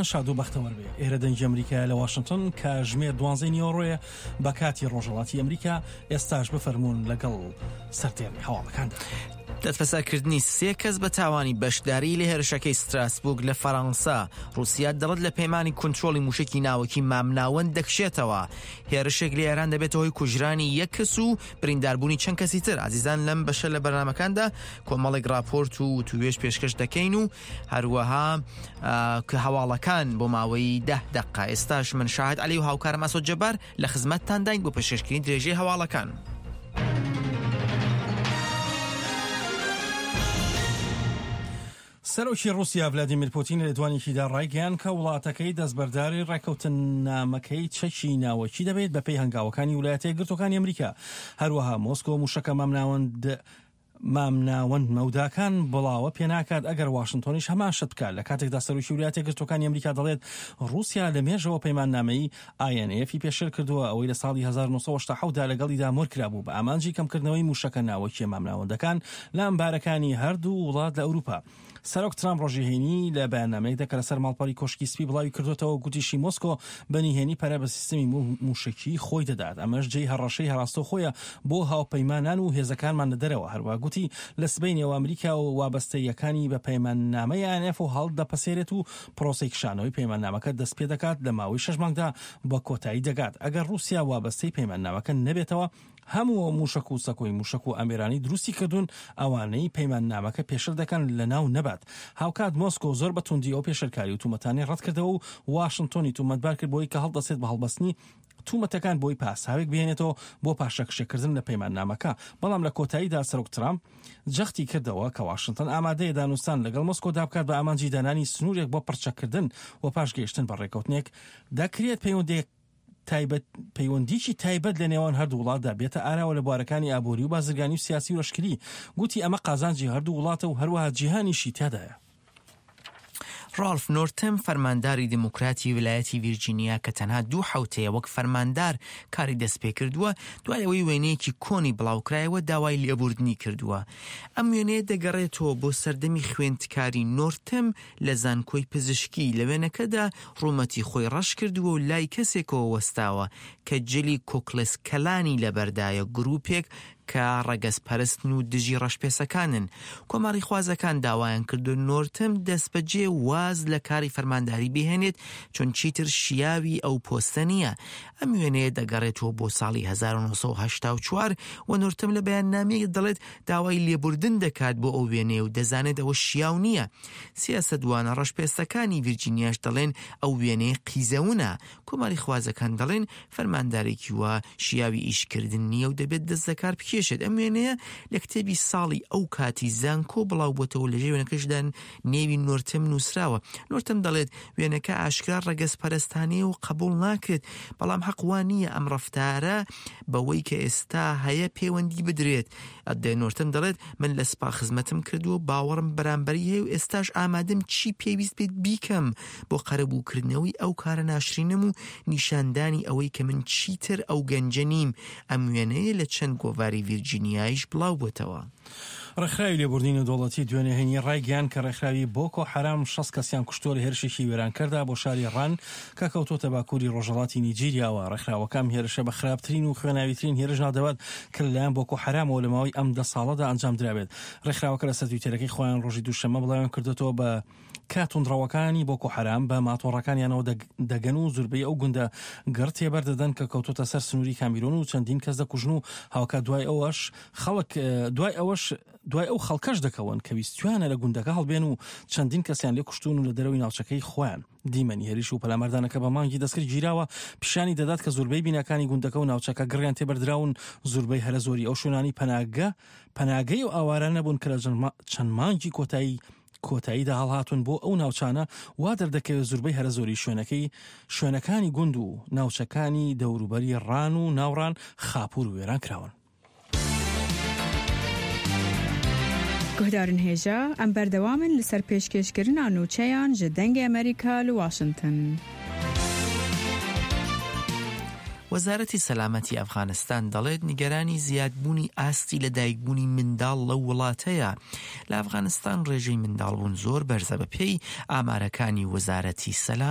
شاد و بەختەوەر بێ. ئێرە دەنگی ئەمریکایە لە واشنتن کاژمێر دوانزەی نیوەڕۆیە بە کاتی ڕۆژهەڵاتی ئەمریکا، ئێستاش بفەرموون لەگەڵ سەردێڕی هەواڵەکاندا. دەستبەسەرکردنی سێ کەس بە تاوانی بەشداری لە هێرشەکەی ستراسبورگ لە فەرەنسا، ڕووسیا دەڵێت لە پەیمانی کونترۆڵی مووشەکی ناوەکی مامناوەند دەکشێتەوە. هێرشێک لە ئێران دەبێتە هۆی کوژرانی یەک کەس و برینداربوونی چەند کەسی تر. ئازیزان لەم بەشە لە بەرنامەکاندا کۆمەڵێک ڕاپۆرت و وتووێژ پێشکەش دەکەین و هەروەها کە هەواڵەکان بۆ ماوەی ده دقە ئێستاش من شاهد علی و هاوکارم ئاسۆ جەبار لە خزمەتتانداین بۆ پێشکەشکردنی درێژەی هەواڵەکان. سەرۆکی ڕووسیا ڤلادیمیر پوتین لە لێدوانێکیدا ڕایگەیاند کە وڵاتەکەی دەستبەرداری ڕێککەوتننامەکەی چەکی ناوەکی دەبێت بەپێی هەنگاوەکانی ویلایەتە یەکگرتووەکانی ئەمریکا. هەروەها مۆسکۆ مووشەکە مامناوەند مامناوەند مەوداکان بڵاوە پێناکات ئەگەر واشنتۆنیش هەمان شت بکات لە کاتێکدا سەرۆکی ویلایەتە یەکگرتووەکانی ئەمریکا دەڵێت ڕووسیا لە مێژەوە پەیماننامەی INF ی پێشێل کردووە ئەوەی لە ساڵی 1987 دا لەگەڵیدا مۆر کرابوو بە ئامانجی کەمکردنەوەی مووشەکە ناوەکییە مامناوەندەکان لە ئەمبارەکانی هەردوو وڵات لە ئەوروپا. سەرۆک ترامپ ڕۆژی هەینی لە بەیاننامەیەکدا کە لەسەر ماڵپەڕی کۆشکی سپی بڵاوی کردووەتەوە گوتیشی مۆسکۆ بە نهێنی پەرە بە سیستمی مووشەکیی خۆی دەدات، ئەمەش جێی هەڕەشەی ڕاستەوخۆیە بۆ هاوپەیمانان و هێزەکانمان لە دەرەوە. هەروەها گوتی لە سبەینێوە ئەمریکا و وابەستەییەکانی بە پەیماننامەی INF هەڵدەپەسێرێت و پرۆسەی کشانەوەی پەیماننامەکە دەستپێدەکات لە ماوەی شەش مانگدا بە کۆتایی دەگات ئەگەر ڕووسیا وابەستەی پەیماننامەکە نەبێتەوە هەموو ئەو مووشەک و سەکۆی مووشەک و ئامێرانەی دروستی کردوون ئەوانەی پەیماننامەکە پێشل دەکەن لەناو نەبات. هاوکات مۆسکۆ زۆر بە توندی ئەو پێشلکاری و تومەتانەی ڕەتکردەوە و واشنتۆنی تومەتبار کرد بەوەی کە هەڵدەسێت بە هەڵبەستنی تومەتەکان بۆی پاساوێک بهێنێتەوە بۆ پاشەکشێکردن لە پەیماننامەکە. بەڵام لە کۆتاییدا سەرۆک ترامپ جەختی کردەوە کە واشنتن ئامادەیە دانوستان لەگەڵ مۆسکۆدا بکات بە ئامانجی دانانی سنوورێک بۆ پڕچەککردن و پاش گەیشتن بە ڕێککەوتنێک دەکرێت پەیوەندییەک تایبەت پەیوەندیی تایبەت لە نێوان هەردوو وڵاتدا بێتە ئاراوە لە بوارەکانی ئابووری و بازرگانی و سیاسی و لەشکری، گوتی ئەمە قازانجی هەردوو وڵاتە و هەروەها جیهانیشی تیادایە. ڕاڵف نۆرتم، فەرمانداری دیموکراتی ویلایەتی ڤیرجینیا کە تەنها دوو حەوتەیە وەک فەرماندار کاری دەستپێکردووە، دوای ئەوەی وێنەیەکی کۆنی بڵاوکرایەوە داوای لێبوردنی کردووە. ئەم وێنەیە دەگەڕێتەوە بۆ سەردەمی خوێندکاری نۆرتم لە زانکۆی پزیشکی، لە وێنەکەدا ڕوومەتی خۆی ڕەش کردووە و لای کەسێکەوە وەستاوە کە جلی کوکلس کلانی لەبەردایە، گروپێک کە ڕەگەزپەرستن و دژی ڕەشپێسەکانن. کۆماریخوازەکان داوایان کردووە نۆرتم دەستبەجێ واز لە کاری فەرمانداری بهێنێت چون چیتر شیاوی ئەو پۆستە نییە. ئەم وێنەیە دەگەڕێتەوە بۆ ساڵی 1984 و نۆرتم لە بەیاننامەیەک دەڵێت داوای لێبوردن دەکات بۆ ئەو وێنەیە و دەزانێت ئەوە شیاو نییە. سیاسەتوانە ڕەشپێستەکانی ڤیرجینیاش دەڵێن ئەو وێنەیە قیزەونە. کۆماریخوازەکان دەڵێن فەرماندارێکی وا شیاوی ئیشکردن نییە و دەبێت دەست لەکار بکێشێت. ئەم وێنەیە لە کتێبی ساڵی ئەو کاتی زانکۆ بڵاوبووەتەوە لە ژێر وێنەکەشدا نێوی نۆرتم نووسراوە. نۆرتم دەڵێت وێنەکە ئاشکرا ڕەگەزپەرستانەیە و قبوڵ ناکرێت، بەڵام حەق وا نییە ئەم ڕەفتارە بەوەی کە ئێستا هەیە پەیوەندی بدرێت. نۆرتم دەڵێت من لە سپا خزمەتم کردووە و باوەڕم بەرامبەری هەیە و ئێستاش ئامادەم چی پێویست بێت بیکەم بۆ قەرەبووکردنەوەی ئەو کارە ناشرینەم و نیشاندانی ئەوەی کە من چیتر ئەو گەنجە نیم. ئەم وێنەیە لە چەند گۆڤاری ڤیرجینیایش بڵاوبووەتەوە. ڕێکخراوی لێبوردنی نێودەوڵەتی دوێنێ هەینی ڕایگەیاند کە ڕێکخراوی بۆکۆ حەرام 60 کەسیان کوشتووە لە هێرشێکی وێرانکەردا بۆ شاری ڕان کە کەوتووەتە باکووری ڕۆژهەڵاتی نیجیریاوە. ڕێکخراوەکە ئەم هێرشە بە خراپترین و خوێناویترین هێرش ناودەبات کە لەلایەن بۆکۆ حەرامەوە لە ماوەی ئەم دە ساڵەدا ئەنجام درابێت. ڕێکخراوەکە لەسەر تویتەرەکەی خۆیان ڕۆژی دووشەممە بڵاویان کردۆتەوە بە کە توندڕەوەکانی بۆکۆ حەرام بە ماتۆڕەکانیانەوە دەگەن و زوربەی ئەو گوندە گڕ تێبەر دەدەن کە کەوتۆتە سەر سنووری کامیرۆن و چەندین کەس دەکوژن و هاوکات دوای ئەوەش خەڵک دوای ئەوەش دوای ئەو خەڵکەش دەکەون کە ویستویانە لە گوندەکە هەڵبێن و چەندین کەسیان لێ کوشتوون و لە دەرەوەی ناوچەکەی خۆیان دیمەنی هێرش و پەلاماردانەکە بە مانگی دەستکرد گیراوە پیشانی دەدات کە زۆربەی بیناکانی گوندەکە و ناوچەکە گڕیان تێبەردراون زۆربەی هەرە زۆری ئەو شوێنانی پەناگە پەناگەی و ئاوارانە بوون کە لە چەند مانگی کۆتایی کۆتاییدا هەڵهاتوون بۆ ئەو ناوچانە، وا دەردەکەوێت زوربەی هەرە زۆری شوێنەکەی شوێنەکانی گوند و ناوچەکانی دەوروبەری ڕان و ناوڕان خاپوور و وێران کراون. Guhdarên hêja, em berdewam in li ser pêşkêşkirina nûçeyan ji Dengê Amerîka li Washington. وەزارەتی سەلامەتی ئەفغانستان دەڵێت نیگەرانی زیادبوونی ئاستی لەدایکبوونی منداڵ لەو وڵاتەیە. لە ئەفغانستان ڕێژەی منداڵبوون زۆر بەرزە بەپێی ئامارەکانی وەزارەتی سەلامەتی.